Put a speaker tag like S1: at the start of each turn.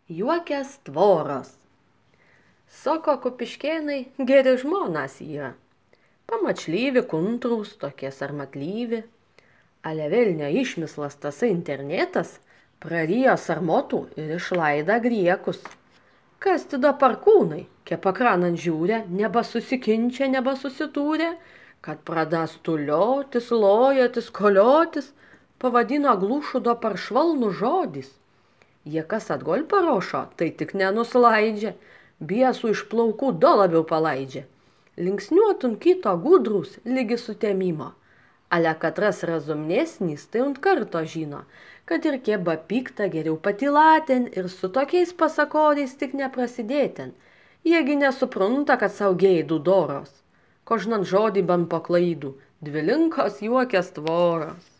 S1: Juokės tvoros. Soko Kupiškėnai geri žmonas yra. Pamačlyvi kuntrūs tokies armatlyvi. Ale vėl neišmislas tasai internetas, prarijo sarmotų ir išlaida griekus. Kas tada parkūnai, kepakranant žiūrė, nebasusikinčia, nebasusitūrė, kad pradas tuliotis, lojotis, koliotis, pavadino glūšudo paršvalnų žodis. Jie kas atgol parošo, tai tik nenuslaidžia, biesų iš plaukų do labiau palaidžia. Linksniuotun kito gudrus lygi sutemimo. Ale katras razumnesnis, tai ant karto žino, kad ir kieba pikta geriau patilaten ir su tokiais pasakoriais tik neprasidėten. Jiegi nesuprunta, kad sau geidų doros. Kožnant žodį ban paklaidų, dvilinkos juokės tvoros.